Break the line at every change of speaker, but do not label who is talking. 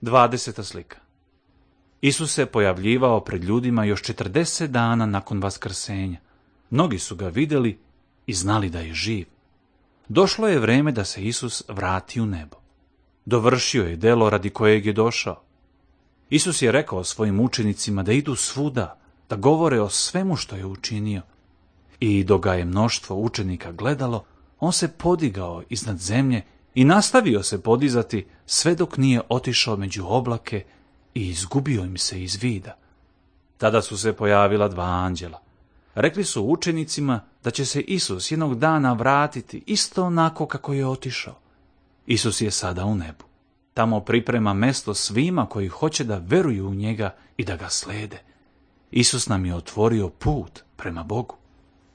20. slika. Isus se pojavljivao pred ljudima još 40 dana nakon vaskrsenja. Mnogi su ga vidjeli i znali da je živ. Došlo je vrijeme da se Isus vrati u nebo. Dovršio je delo radi kojeg je došao. Isus je rekao svojim učenicima da idu svuda, da govore o svemu što je učinio. I dok ga je mnoštvo učenika gledalo, on se podigao iznad zemlje i nastavio se podizati sve dok nije otišao među oblake i izgubio im se iz vida. Tada su se pojavila 2 anđela. Rekli su učenicima da će se Isus jednog dana vratiti isto onako kako je otišao. Isus je sada u nebu. Tamo priprema mjesto svima koji hoće da veruju u njega i da ga slede. Isus nam je otvorio put prema Bogu.